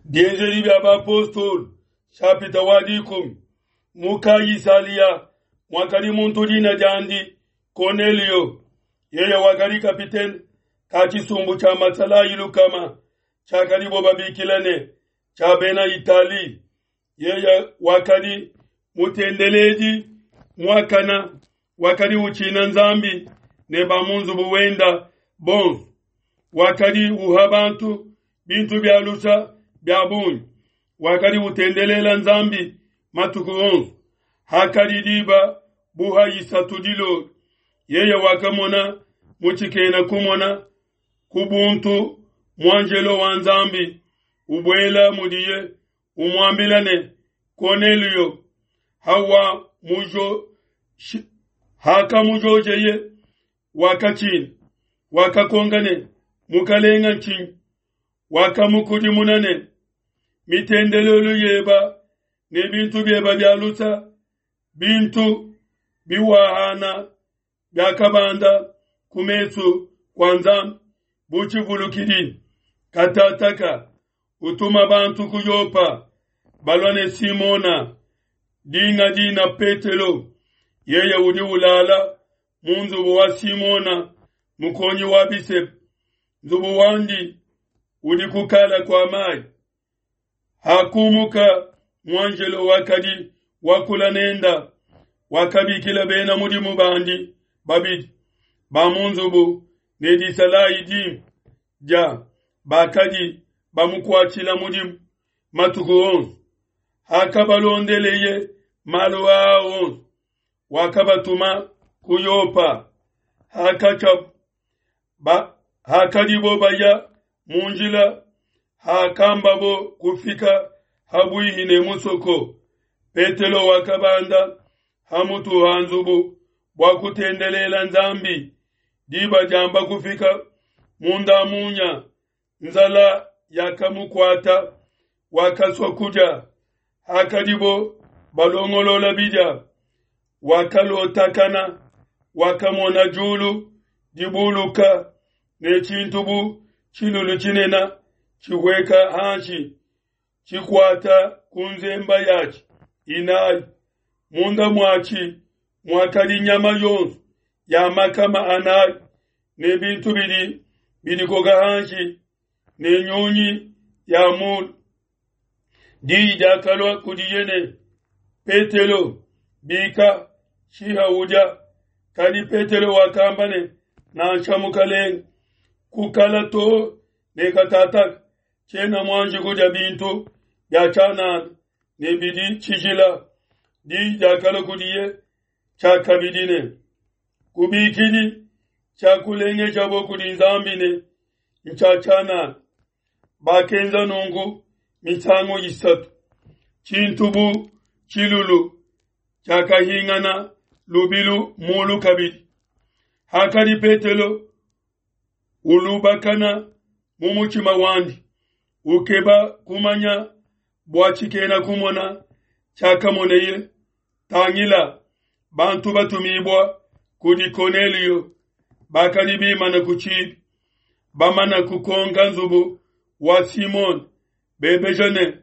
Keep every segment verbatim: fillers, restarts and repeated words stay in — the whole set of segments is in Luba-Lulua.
Bienzedi bia bapostolo nshapita wa dikumi. Mu Kaisalia muakadi muntu dina diandi Konelio, yeye wakadi kapitene ka tshisumbu tshia masalayi lukama tshiakadibo babikila ne tshia bena Itali. Yeye wakadi mutendeledi muakana, wakadi utshina Nzambi ne ba mu nzubu wenda bonso, wakadi uha bantu bintu bia lusa bia bungi, wakadi utendelela Nzambi matuku onso. Hakadi diba buha isatu dilolo, yeye wakamona mu tshikena kumona ku buntu muanjelo wa Nzambi ubuela mudiye umuambila ne, Konelio. Hawa mujo hakamujojeye wakatshina, wakakonka ne, Mukalenga ntshinyi? Wakamukudimuna ne, mitendelelu yeba ne bintu byeba bya lusa, bintu biwahana byakabanda ku mesu kwa Nzambi bu tshivulukidi. Katataka utuma bantu ku Yopa balua ne Simona dinga dina Petelo, yeye udi ulala mu nzubu wa Simona mukonyi wa bisepe, nzubu wandi udi kukala kwa mayi. Hakumuka muanjelo wakadi wakula nenda, wakabikila bena mudimu bandi babidi ba mu nzubu ne disalayi dimpe dia bakadi bamukuatshila mudimu matuku onso. Hakabalondeleye malu aa onso, wakabatuma ku Yopa. Hakatshiabu ba hakadibo baya mu njila, hakambabo kufika habuihi ne musoko, Petelo wakabanda hamutu ha nzubu bua kutendelela Nzambi. Diba diamba kufika munda munya, nzala yakamukuata, wakasua kudia. Hakadibo balongolola bidia, wakalotakana, wakamona julu dibuluka ne tshintu bu tshilulu tshinene tshihueka hanshi, tshikuata ku nzemba yatshi inayi. Munda muatshi muakadi nyama yonso ya makama anayi ne bintu bidi bidikoka hanshi ne nyunyi ya mulu. Diyi diakalua kudiye ne, Petelo, bika, shiha udia. Kadi Petelo wakamba ne, nansha Mukalenge, kukala to ne katataka tshiena muanji kudia bintu bia tshianana ne bidi tshijila. Diyi diakalua kudiye tshiakabidi ne, kubikidi tshiakulengejabo kudi Nzambi ne ntshia tshianana. Bakenza nunku misangu isatu. Tshintu bu tshilulu tshiakahingana lubilu mulu kabidi. Hakadi Petelo ulubakana mu mutshima wandi, ukeba kumanya bua tshikena kumona tshiakamoneye, tangila, bantu batumibua kudi Konelio bakadi bimana ku tshibi, bamana kukonka nzubu wa Simona, bebeja ne,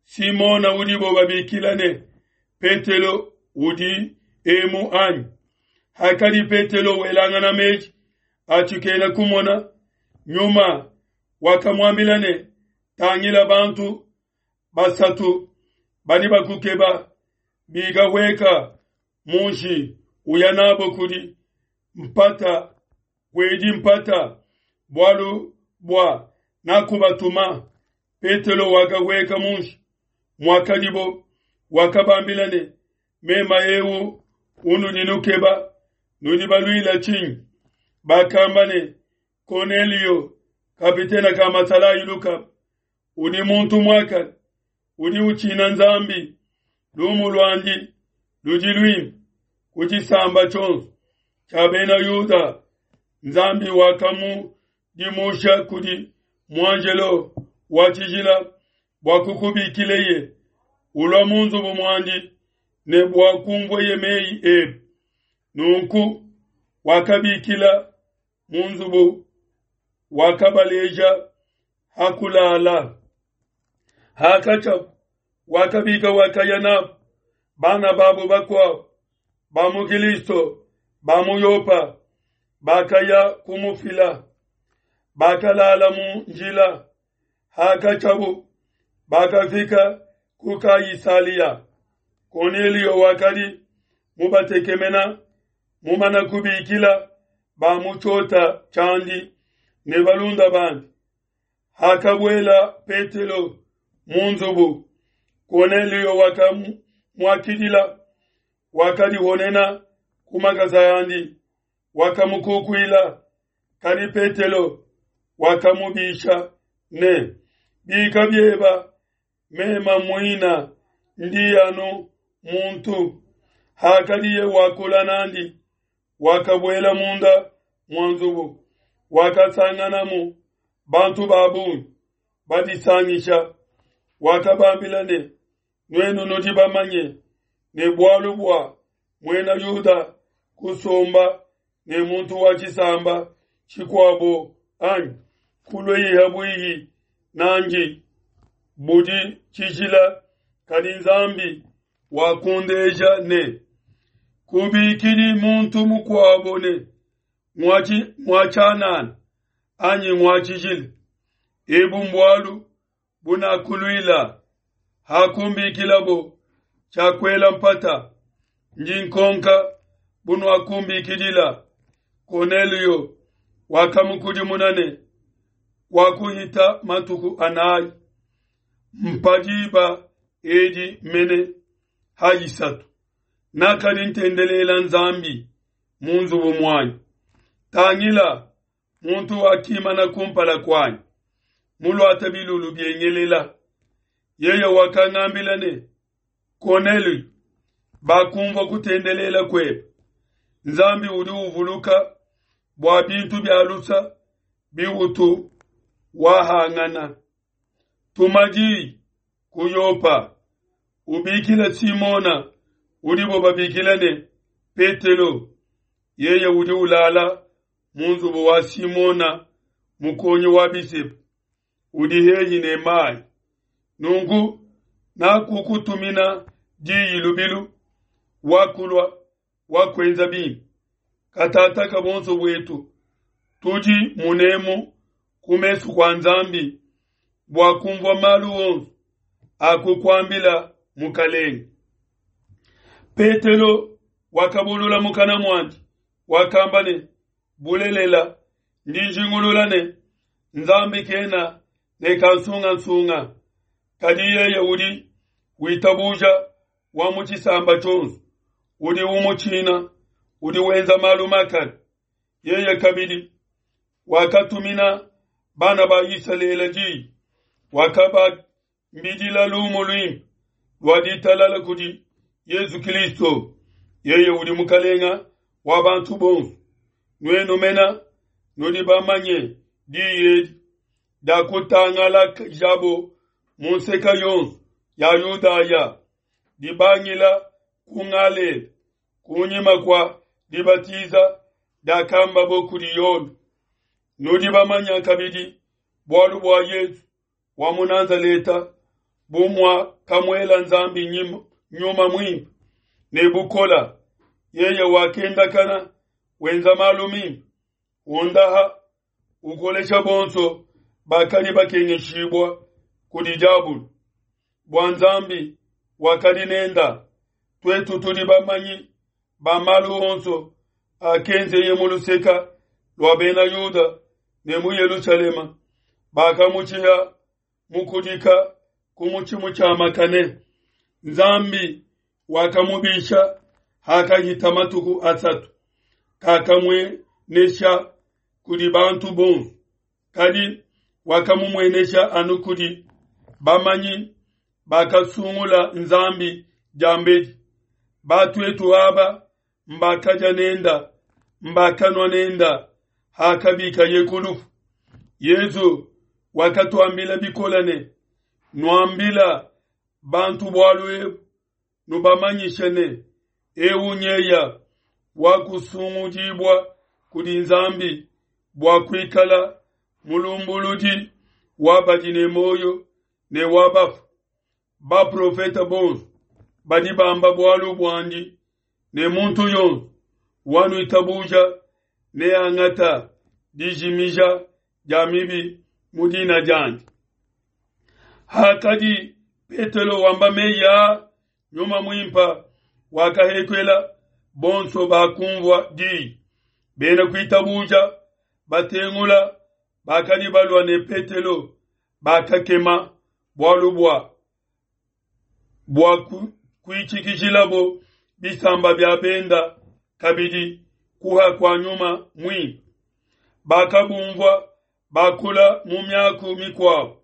Simona udibo babikila ne Petelo udi emu anyi? Hakadi Petelo welangana meji a tshikena kumona, Nyuma wakamuambila ne, tangila, bantu basatu badi bakukeba, bika hueka munshi uya nabo kudi mpata kuedi mpata, bualu bua nakubatuma. Petelo wakahueka munshi muakadibo, wakabambila ne, mema eu unudi nukeba, nudi baluila tshinyi? Bakamba ne, Konelio kapitena ka masalayi lukama, udi muntu muakane, udi utshina Nzambi, lumu luandi ludi luimpe ku tshisamba tshionso tshia bena Yuda. Nzambi wakamudimusha kudi muanjelo wa tshijila bua kukubikileye ulua mu nzubu muandi ne bua kumvueye meyi ebe. Nunku wakabikila mu nzubu, wakabaleja hakulala. Hakatshiabu wakabika wakaya nabo bana babo bakuabo ba mu Kilisto ba mu Yopa bakaya kumufila. Bakalala mu njila. Hakatshiabu bakafika ku Kaisalia. Kornelio wakadi mubatekemena mumana kubikila ba mu tshiota tshiandi ne balunda bandi. Hakabuela Petelo mu nzubu, Kornelio wakamuakidila, wakadihonena ku makasa andi, wakamukukuila. Kadi Petelo wakamubisha ne, bika bieba, mema muina ndi anu muntu. Hakadiye wakula nandi, wakabuela munda mua nzubu, wakasanganamu bantu ba bungi badisangisha. Wakabambila ne, nuenu nudi bamanye ne bualu bua muena Yuda kusomba ne muntu wa tshisamba tshikuabo anyi kuluiha bwihi nandi budi tshijila, kadi Nzambi wakundeja ne, kubikidi muntu mukuabo ne ngwa tshianana anyi ngwa tshijila. Ebu mbualu bunakuluila hakumbikilabo tshiakuela mpata, ndi nkonka bunuakumbikidila. Kornelio wakamukudimuna ne, wakuhita matuku anayi mpadiba edi mene ha isatu nakadi ntendelela Nzambi mu nzubu muanyi. Tangila, muntu wakimana kumpala kuanyi muluate bilulu biengelela. Yeye wakangambila ne, Kornelio, bakumvua kutendelela kuebe. Nzambi udi uvuluka bua bintu bia lusa biutu wahangana. Tuma diyi ku Yopa, ubikile Simona udibo babikila ne Petelo. Yeye udi ulala mu nzubu wa Simona mukonyi wa bisepu, udi hehi ne mayi. Nunku nakukutumina diyi lubilu, wakulua wakuenza bimpe. Katataka bonso buetu tudi munemu ku mesu kua Nzambi bua kumvua malu onso akukuambila Mukalenge. Petelo wakabulula mukana muandi, wakamba ne, bulelela ndi njingulula ne, Nzambi kena ne kansungansunga, kadi yeye udi witabuja wa mu tshisamba tshionso, udi umutshina, udi wenza malu makane. Yeye kabidi wakatumina bana ba Isalele diyi, wakabambidila lumu luimpe lua ditalala kudi Yesu Kristo. Yeye udi Mukalenga wa bantu bonso. Nuenu mena nudi bamanye diyi edi diakutangalajabo mu nseka yonso ya Yudaya, dibangila ku Galela, kunyima kua dibatiza diakambabo kudi Yone. Nudi bamanya kabidi bualu bua Yesu wa mu Nazaleta, bu muakamuela Nzambi nyuma muimpe ne bukola. Yeye wakendakana wenza malu mimpe, wondaha, ukolesha bonso bakadi bakengeshibua kudi diabulu, bua Nzambi wakadi nenda. Tuetu tudi bamanyi ba malu onso akenzeye mu luseka lua bena Yuda ne mu Yelushalema, bakamutshiha mukudika ku mutshi mutshiamakane. Nzambi wakamubisha hakahita matuku asatu, kakamuenesha kudi bantu bonso, kadi wakamumuenesha anu kudi bamanyi bakasungula Nzambi diambedi. Batuetu aba mbakadia nenda, mbakanua nenda hakabikaye ku lufu. Yesu wakatuambila bikola ne, nuambila bantu bualu ebu, nubamanyishe ne, eu nyeya wakusungudibua kudi Nzambi bua kuikala mulumbuludi wa badi ne moyo ne wa bafu. Baprofete bonso badi bamba bualu buandi ne muntu yonso wanuitabuja neangata dijimija dia mibi mu dina diandi. Hakadi Petelo wamba meyi aa, Nyuma Muimpe wakahekela bonso bakumvua diyi. Bena kuitabuja batengula bakadi balua ne Petelo bakakema bualu bua bua kuitshikijilabo bisamba bia benda kabidi kuha kua Nyuma Muimpe. Bakabumvua bakula mu miaku mikuabo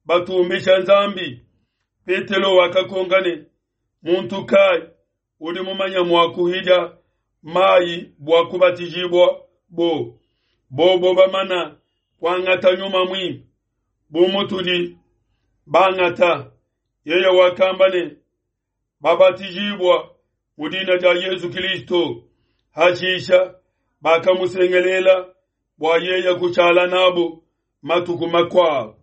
batumbisha Nzambi. Petelo wakakonka ne, muntu kai udi mumanya mua kuhidia mayi bua kubatijibua bo? Bobo bamana kuangata Nyuma Muimpe bu mutudi bangata. Yeye wakamba ne, babatijibua mu dina dia Yesu Kristo. Hashisha bakamusengelela bua yeye kushala nabo matuku makuabo.